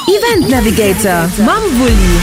Event Navigator mam Wulli.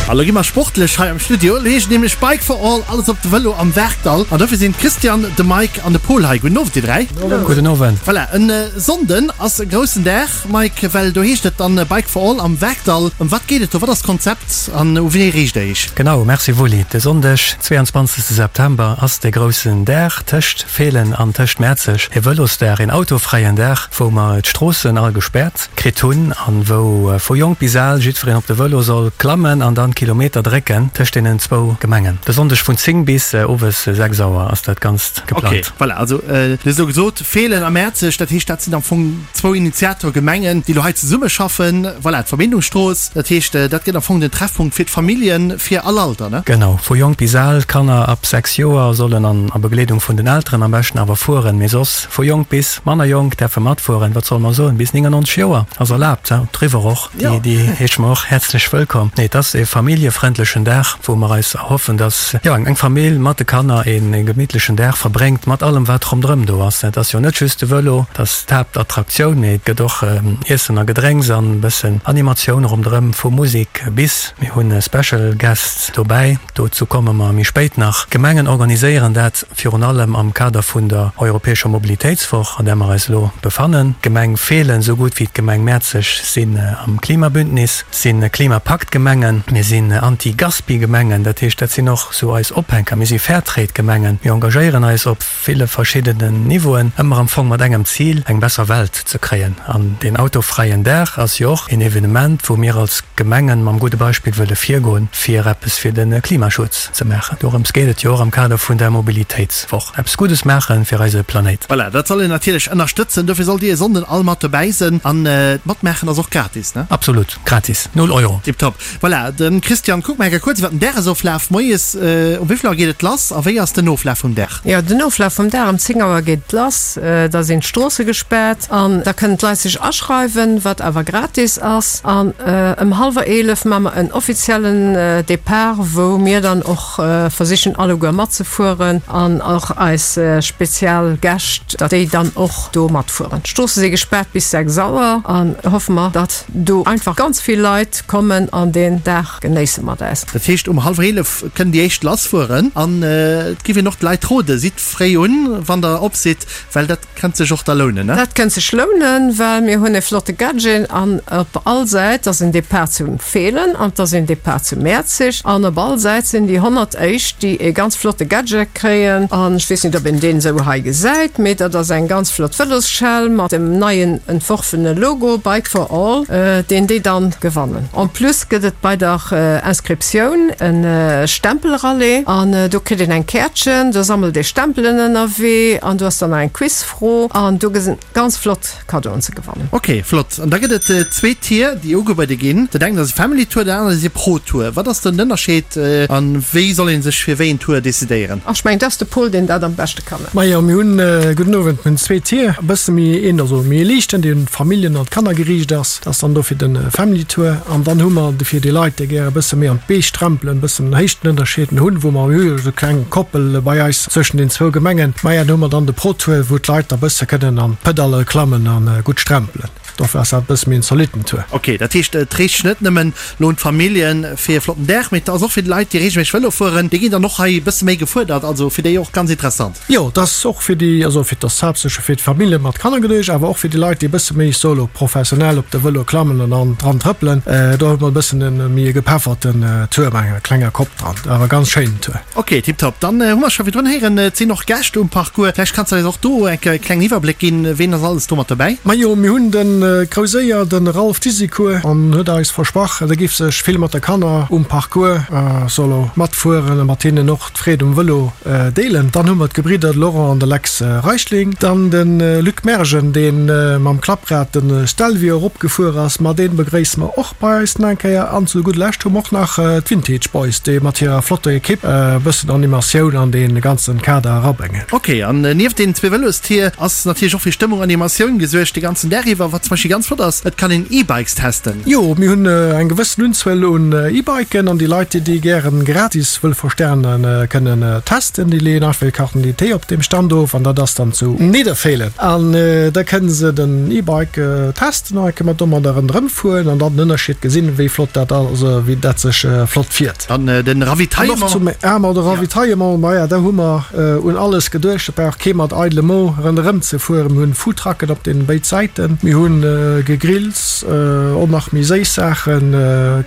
A lo gi mer sportlech hei am Studio. Lo heescht et nämlech Bike for All, alles op de Vëlo am Werkdall. An dofir sinn d'Christiane, de Mike an de Paul hei. Gudden Owend dir 3. Gudden Owend. Voilà, en Sonnden ass e groussen Dag, Mike, well do heescht et dann Bike for All am Werkdall. Ëm wat geet et do? Wat ass d'Konzept an u wee riicht der iech? Genau, merci Wulli. De Sonndeg, 22 September ass de groussen Dag tëscht Feelen an tëscht Mäerzeg. E Vëlosdag, een autofräien Dag, wou mer d'Stroossen all gespäert kritt hunn an wou vu jonk bis al jiddwereen op de Vëlo soll klammen an dann d'Kilometer drécken tëscht deenen zwou Gemengen. De Sonndeg vun 10 bis owes 6 Auer ass dat Ganzt geplangt. Ok, voilà, also du hues elo gesot Feelen a Mäerzeg, dat heescht dat sinn am Fong zwou Initiatorgemengen, déi elo hei zesummeschaffen. Voilà, d'Verbindungsstrooss, dat heescht dat gëtt am Fong den Treffpunkt fir d'Familljen, fir all Alter, ne? Genau, vu jonk bis al, Kanner ab 6 Joer sollen an a Begleedung vun den Elteren am beschten awer fueren, mee soss Vu jonk bis manner jonk däerfe matfueren, wat solle mer soen, bis 99 Joer ass erlaabt, driwwer och, déi déi heesche mer och häerzlech wëllkomm. Nee, et ass e familljefrëndlechen Dag, wou mer eis erhoffen, dass, jo, eng Famill mat de Kanner e gemittlechen Dag verbréngt, mat allem wat ronderëm do ass. Et ass jo net just de Vëlo, dat ass d'Haaptattraktioun, mee et gëtt och Iessen a Gedrénks an e bëssen Animatioun ronderëm, vu Musek bis, mir hunn Special Guests dobäi, dozou komme mer méi spéit nach. D'Gemengen organiséieren dat. Virun allem am Kader vun der europäescher Mobilitéitswoch, an där mer eis elo befannen. D'Gemeng Feelen esou gutt wéi d'Gemeng Mäerzeg sinn am Klimabündnis, si Klimapaktgemengen, mir sinn Anti-Gaspi-Gemengen, dat heescht, dat sinn och esou eis Ophänker. Mir si Fairtrade-Gemengen, mir engagéieren eis op ville verschiddenen Niveauen, ëmmer am Fong mat engem Zil, eng besser Welt ze kréien. An deen autofräien Dag ass jo och een Evenement, wou mir als Gemengen mam gudde Beispill wëlle virgoen, fir eppes fir de Klimaschutz ze maachen. Dorëms geet et jo och am Kader vun der Mobilitéitswoch. Eppes Guddes maache fir eise Planéit. Voilà, dat soll een natierlech ënnerstëtzen. Dofir sollt dir e Sonnden all mat dobäi sënn. An d'Matmaachen ass och gratis, ne? Absolut, gratis, null Euro. Tiptop. Voilà, de Christian, kuck mar eng Kéier kuerz iwwer den Dagesoflaf. Moies um wéi vill Auer geet et lass a wéi ass den Oflaf vum Dag? Jo, den Oflaf vum Dag, um 10 Auer geet et lass, da sinn d'Stroosse gespaart an da kënnen d'Leit sech aschreiwen, wat awer gratis ass. An ëm hallwer 11 maa mer en offiziellen Depart, wou mir dann och versichen alleguer matzefueren an och eis spezial Gäscht, datt déi dann och do matfueren. D'Stroosse si gespaart bis 6 Auer an hoffe mer, datt do einfach ganz vill Leit kommen an deen Dag genéisse mat eis. Dat heescht um hallwer 11 kënnen déi éischt lassfueren an et giff een och d'Leit roden, sidd fréi un wann der op sidd, well dat Kennt sech och da lounen, ne? Dat kënnt sech lounen, well mir hunn e flotte Gadget an op all Säit ass en Depart zu Feelen an et ass een Depart zu Mäerzeg an op all Säit sinn déi 100 éischt, déi e ganz flotte Gadget kréien an ech weess net, ob een deen esou hei gesäit, mee dat ass eng ganz flott Vëlosschell mat dem neien entworfene Logo Bike for All, deen déi dann gewannen. En plus gëtt et bei der Inscriptioun e Stempelrallye an do kritt een eng Käertchen, do sammelt ee Stempelen ënnerwee an do ass dann nach eng Quizfro an do gëtt ganz flott Kaddoen ze gewannen. Ok, flott. An da gëtt et zwee Tier, déi ugebuede ginn. Dat engt ass e Family Tour, dat anert ass e Pro Tour. Wat ass den Ënnerscheed a wéi soll ee sech fir wéi een Tour decidéieren? Ech mengen, et ass de Paul, deen dat am beschte kann. Majo, mir hunn, gudden Owend, mir hunn zwee Tier, e bësse méi een, also méi e liichten, dee un d'Familljen an d'Kanner geriicht ass. Dat ass dann do fir de Family Tour. An dann hu mer fir déi Leit, déi gäre e bësse méi an d'Beech trempelen, e bëssen Héichtenënnerscheeden hunn, wou mer hu esou kleng Koppel bei eis zwëschen den zwou Gemengen, maja, do hu mer dann de Pro Tour, wou d'Leit da bësse kënnen an d'Pedalle klammen a gutt strempelen. Dofir ass dat e bësse méi en zolitten Tour. Ok, dat heescht, et riicht sech net nëmmen lo un d'Familljen fir e flotten Dag, mee et ass och fir d'Leit, déi reegelméisseg Vëlo fueren, déi ginn dann och hei e bësse méi gefuerdert, also fir déi och ganz interessant. Jo, et ass och fir déi, also fir, et ass haaptsächlech fir d'Famillje mat Kanner geduecht, awer och fir déi Leit, déi e bësse méi solo professionell op de Vëlo klammen an dann dran trëppelen. Do huet mer e bëssen e méi e gepefferten Tour mat enger klenger Kopp dran, awer ganz schéinen Tour. Ok, tiptop. Dann hu mer scho virdrun héieren, et sinn och Gäscht um Parcours. Vläicht kanns de eis och do eng Kéier e klengen Iwwerbléck ginn, ween ass alles do mat dobäi? Majo, mir hunn de Krouséier, de Ralph Disicourt, an huet eis versprach, e giff sech vill mat de Kanner um Parcours solo matfueren a mat hinnen och d'Freed um Vëlo deelen. Dann hu mer d'Gebridder Laurent an de Lex Reichling. Dann de Luc Mergen, dee mam Klapprad de Stelvio eropgefuer ass. Ma dee begréisse mer och bei eis nach eng Kéier. An zu gudder Lescht hu mer och nach d'Vintage Boys, déi mat hirer flotter Ekipp e bëssen Animatioun an dee ganze Kader erabréngen. Ok, an nieft deenen zwee Vëlostier ass natierlech och fir Stëmmung an Animatioun gesuergt de ganzen Dag iwwer. zum Beispill ganz flott ass, et kann een E-Bikes testen. Jo, mir hunn eng gewëssen Unzuel un E-Biken an déi Leit, déi déi gären gratis wëlle versternen, kënnen testen. Déi leeën einfach hir Carte d'identité op deem Stand of an dat ass dann zu Nidderfeelen. An da kënne se den E-Bike testen an da kënne mer domadder ronderëm fueren an dann den Ënnerscheed gesinn, wéi flott dat ass, wéi dat sech flott fiert. Dann den Ravitaillement. An och zum, ah ma de Ravitaillement, maja da hu mer un alles geduecht, et brauch kee mat eidele Mo ronderëm ze fueren. Mir hunn Foodtrucken op deenen béid Säiten, mir hunn Gegrills, och nach méi séiss Saachen,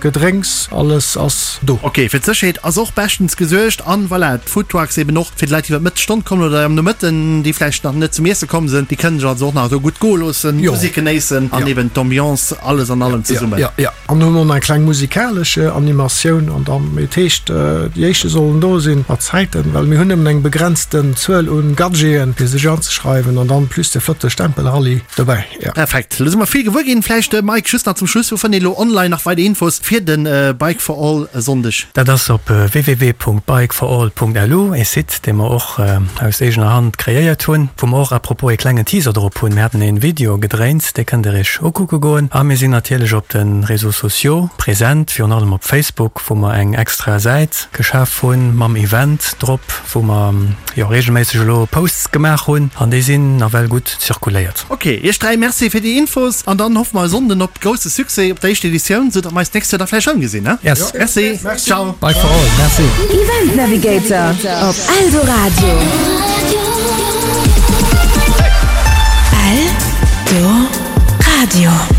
Gedrénks, alles ass do. Ok, fir d'Sécherheet ass och beschtens gesuergt an voilà, d'Foodtrucks eben och fir d'Leit déi iwwer d'Mëttesstonn kommen oder am Nomëtten, déi vläicht nach net zum Iesse komm sinn, déi kënnen sech also och nach do gutt goe loossen, Musek genéissen an eben d'Ambiance, alles an allem zesummen. Jo, jo. An hunn och nach eng kleng musikalesch Animatioun an dann, et heescht, déi éischte sollen do sinn mat Zäiten, well mir hunn nëmmen eng begrenzten Zuel un Gadgeten fir sech anzeschreiwen an dann plus de flotte Stempelrallye dobäi, jo. Perfekt, lo si mer vill gewuer ginn. Vläicht Mike, just nach zum Schluss, wou fënnt een elo online nach weider Infos fir de Bike for All e Sonndeg? Dat ass op www.bikeforall.lu, ee Site dee mer och aus eegener Hand kreéiert hunn, wou mer och à propos ee klengen Teaser drop hunn. Mir haten ee Video gedréint, dee kënnt der iech ukucke goen. A mir sinn natierlech op de Réseaux sociaux present, virun allem op Facebook, wou mer eng extra Säit geschaf hunn mam Event drop, wou mer jo reegelméisseg elo Posts gemaach hunn an déi sinn nawell gutt zirkuléiert. Ok, iech 3 Merci fir déi Infos an dann hoffe mer e Sonnden op grousse Succès op der éischter Editioun, sou datt mer eis d'nächst Joer da vläicht erëm gesinn, he? Yes. Merci, ciao. Bike for all, merci. Event Navigator op Eldoradio. Eldoradio.